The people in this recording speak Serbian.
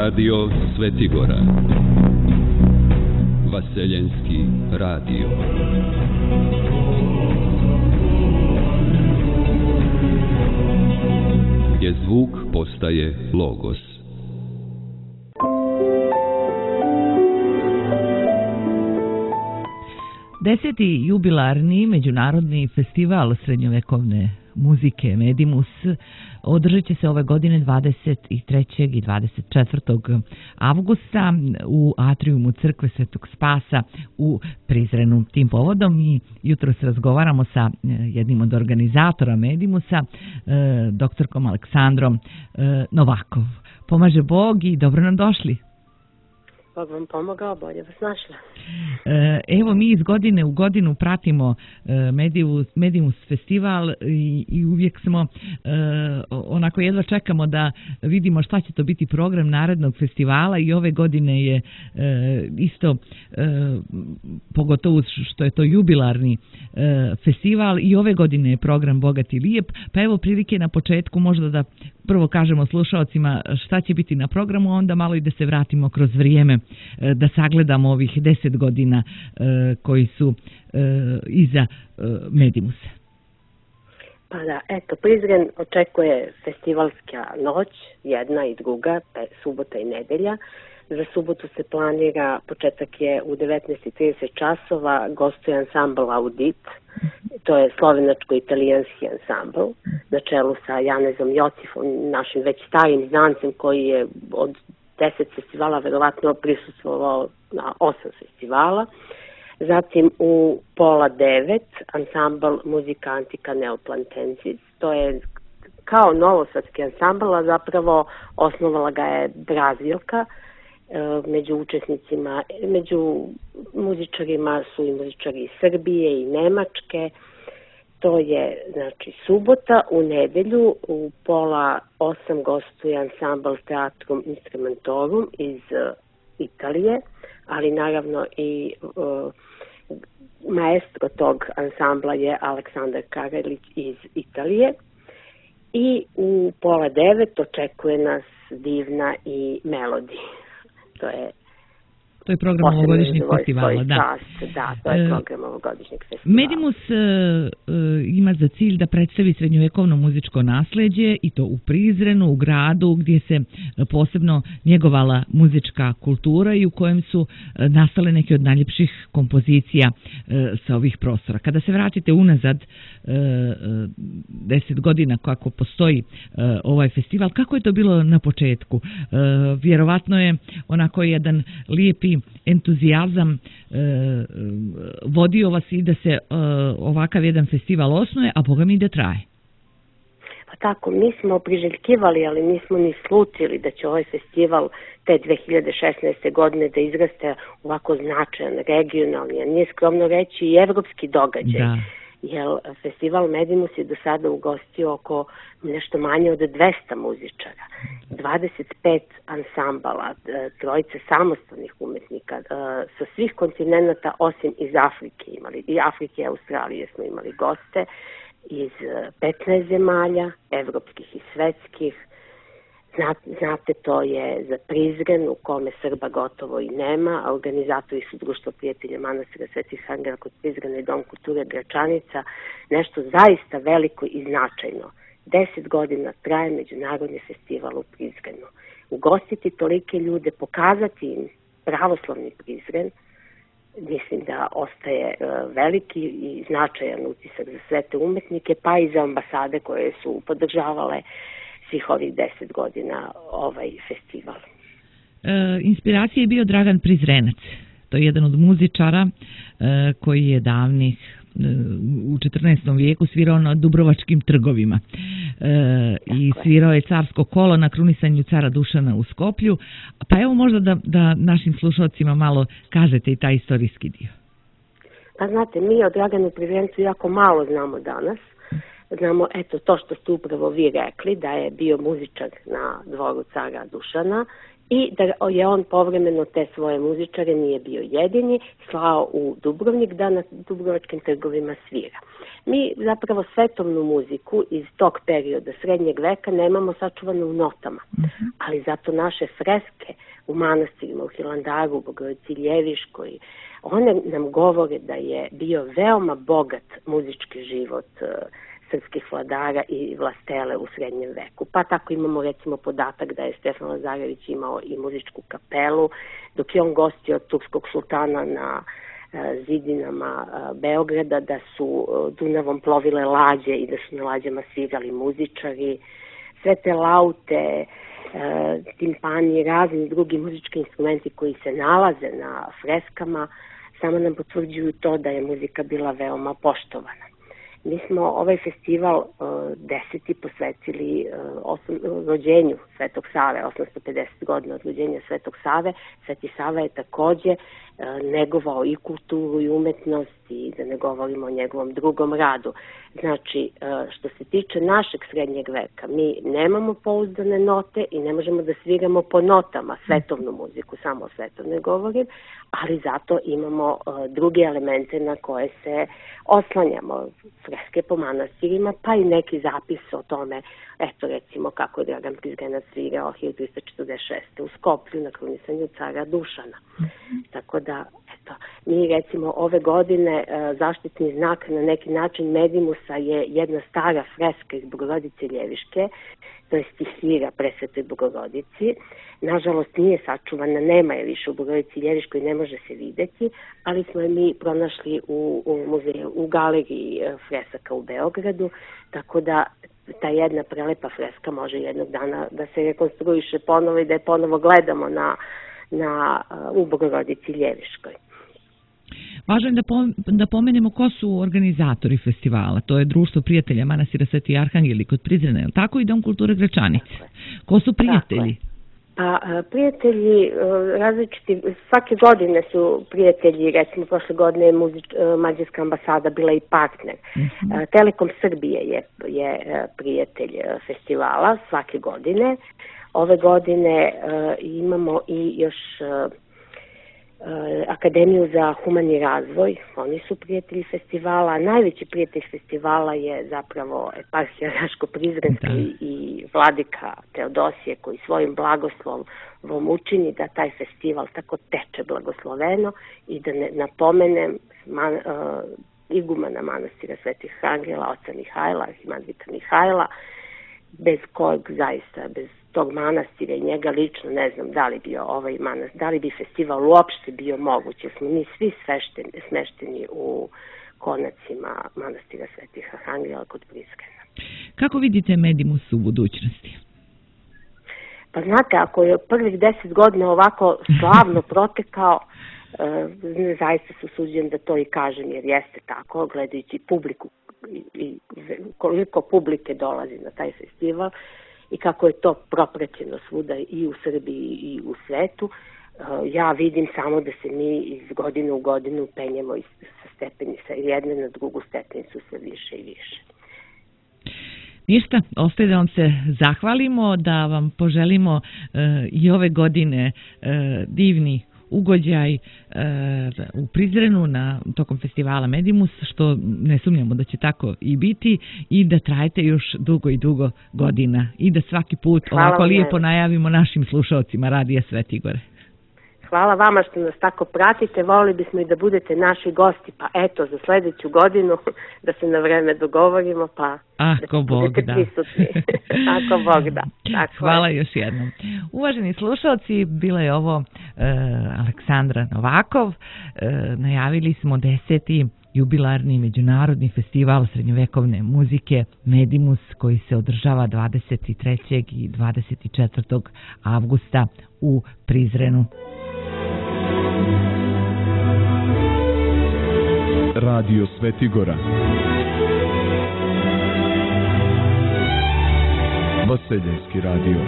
Radio Svetigora. Vaseljenski radio. Gdje zvuk postaje logos. Deseti jubilarni međunarodni festival srednjovekovne muzike Medimus održat će se ove godine 23. i 24. avgusta u atrijumu crkve Svetog Spasa u Prizrenu. Tim povodom mi jutros razgovaramo sa jednim od organizatora Medimusa, doktorkom Aleksandrom Novakov. Pomaže Bog i dobro nam došli. Bog vam pomogao, bolje vas našla. Evo, mi iz godine u godinu pratimo Medimus festival i uvijek smo onako jedva čekamo da vidimo šta će to biti program narednog festivala i ove godine je isto, pogotovo što je to jubilarni festival, i ove godine je program bogat i lijep, pa evo prilike na početku možda da prvo kažemo slušaocima šta će biti na programu, onda malo i da se vratimo kroz vrijeme, da sagledamo ovih 10 godina koji su iza Medimusa. Pa da, eto, Prizren očekuje festivalska noć, jedna i druga, subota i nedelja. Za subotu se planira, početak je u 19:30 časova, gostuje ansambl Audit, to je slovenačko-italijanski ansambl, na čelu sa Janezom Jocifom, našim već starim znancem koji je od 10 festivala verovatno prisustvovao na 8 festivala. Zatim u 8:30 ansambl Muzika Antica Neoplantensis, to je kao novosadski ansambl, a zapravo osnovala ga je Brazilka. Među učesnicima, među muzičarima su i muzičari iz Srbije i Nemačke. To je, znači, subota. U nedelju u 7:30 gostuje ansambl Teatrum Instrumentorum iz Italije, ali naravno i maestro tog ansambla je Aleksandar Karelić iz Italije. I u 8:30 očekuje nas Divna i Melodi. To je program ovogodišnjeg festivala, da. Da, to je program ovogodišnjeg festivala. Medimus ima za cilj da predstavi srednjovekovno muzičko nasleđe i to u Prizrenu, u gradu gdje se posebno njegovala muzička kultura i u kojem su nastale neke od najljepših kompozicija sa ovih prostora. Kada se vratite unazad 10 godina kako postoji ovaj festival, kako je to bilo na početku? Vjerovatno je onako jedan lijepi entuzijazam vodio vas i da se ovakav jedan festival osnuje, a Boga mi da traje. Pa tako, mi smo priželjkivali, ali nismo ni slutili da će ovaj festival te 2016. godine da izraste ovako značajan, regionalni, a nije skromno reći i evropski događaj. Da. Jer festival Medimus je do sada ugostio oko nešto manje od 200 muzičara, 25 ansambala, trojice samostalnih umetnika sa svih kontinenta osim iz Afrike imali, i Afrike i Australije smo imali goste, iz 15 zemalja, evropskih i svetskih. Znate, to je za Prizren u kome Srba gotovo i nema, a organizatori su Društvo prijatelja manastira Svetih Angela kod Prizrena i Dom kulture Gračanica, nešto zaista veliko i značajno. 10 godina traje međunarodni festival u Prizrenu. Ugostiti tolike ljude, pokazati im pravoslavni Prizren, mislim da ostaje veliki i značajan utisak za sve te umetnike, pa i za ambasade koje su podržavale svih ovih 10 godina ovaj festival. Inspiracija je bio Dragan Prizrenac. To je jedan od muzičara koji je davnih u 14. vijeku svirao na Dubrovačkim trgovima i svirao je Carsko kolo na krunisanju cara Dušana u Skoplju. Pa evo možda da našim slušalcima malo kažete i taj istorijski dio. Pa znate, mi o Draganu Prizrencu jako malo znamo danas. Znamo, eto, to što ste upravo vi rekli, da je bio muzičar na dvoru cara Dušana i da je on povremeno te svoje muzičare, nije bio jedini, slao u Dubrovnik da na dubrovačkim trgovima svira. Mi zapravo svetovnu muziku iz tog perioda srednjeg veka nemamo sačuvanu u notama, ali zato naše freske u manastirima, u Hilandaru, u Bogorodici Ljeviškoj, one nam govore da je bio veoma bogat muzički život srpskih vladara i vlastele u srednjem veku. Pa tako imamo recimo podatak da je Stefan Lazarević imao i muzičku kapelu, dok je on gostio od turskog sultana na zidinama Beograda, da su Dunavom plovile lađe i da su na lađama svirali muzičari. Sve te laute, timpani i razni drugi muzički instrumenti koji se nalaze na freskama samo nam potvrđuju to da je muzika bila veoma poštovana. Mi smo ovaj festival 10. posvetili rođenju Svetog Save, 850 godina od rođenja Svetog Save. Sveti Sava je takođe negovao i kulturu i umetnost, i da ne govorimo o njegovom drugom radu. Znači, što se tiče našeg srednjeg veka, mi nemamo pouzdane note i ne možemo da sviramo po notama svetovnu muziku, samo o svetovnoj govorim, ali zato imamo druge elemente na koje se oslanjamo, freske po manastirima, pa i neki zapis o tome, eto recimo kako je Dragan Prizrenac svirao 1346. u Skoplju na krunisanju cara Dušana. Tako da, eto, mi recimo ove godine zaštitni znak na neki način Medimusa je jedna stara freska iz Bogorodice Ljeviške, to je stihira Presvetoj Bogorodici. Nažalost nije sačuvana, nema je više u Bogorodici Ljeviškoj, ne može se videti, ali smo je mi pronašli u muzeju, u galeriji fresaka u Beogradu, tako da ta jedna prelepa freska može jednog dana da se rekonstruiše ponovo i da je ponovo gledamo u Bogorodici Ljeviškoj. Važno je da pomenemo ko su organizatori festivala. To je Društvo prijatelja manastira Sveti Arhangeli kod Prizrena, je li tako, i Dom kulture Gračanica? Ko su prijatelji? Pa prijatelji različiti, svake godine su prijatelji, recimo prošle godine je Mađarska ambasada bila i partner. Telekom Srbije je prijatelj festivala svake godine. Ove godine imamo i još Akademiju za humani razvoj, oni su prijatelji festivala. Najveći prijatelj festivala je zapravo eparhija Raško-Prizrenska i vladika Teodosije, koji svojim blagoslovom učini da taj festival tako teče blagosloveno. I da napomenem igumana manastira Svetih Arhangela, oca Mihajla, arhimandrita Mihajla, bez kojeg zaista, bez tog manastira i njega lično ne znam da li bi festival uopšte bio moguće. Smo mi svi smešteni u konacima manastira Svetih Arhangela kod Prizrena. Kako vidite Medimus u budućnosti? Pa znate, ako je prvih 10 godina ovako slavno protekao, zaista se usuđujem da to i kažem, jer jeste tako, gledajući publiku i koliko publike dolazi na taj festival i kako je to propraćeno svuda i u Srbiji i u svetu, ja vidim samo da se mi iz godine u godinu penjemo sa stepenica jedne na drugu stepenicu sve više i više. Ništa, ostaje da vam se zahvalimo, da vam poželimo i ove godine divni ugođaj u Prizrenu tokom festivala Medimus, što ne sumnjamo da će tako i biti, i da trajete još dugo i dugo godina i da svaki put ovako lijepo najavimo našim slušalcima Radija Svetigore. Hvala vama što nas tako pratite, volili bismo i da budete naši gosti, pa eto, za sljedeću godinu da se na vreme dogovorimo, pa ako budete prisutni. Ako Bog da. Hvala još jednom. Uvaženi slušalci, bila je ovo Aleksandra Novakov. Najavili smo 10. jubilarni međunarodni festival srednjovekovne muzike Medimus, koji se održava 23. i 24. avgusta u Prizrenu. Radio Svetigora. Vaseljenski radio.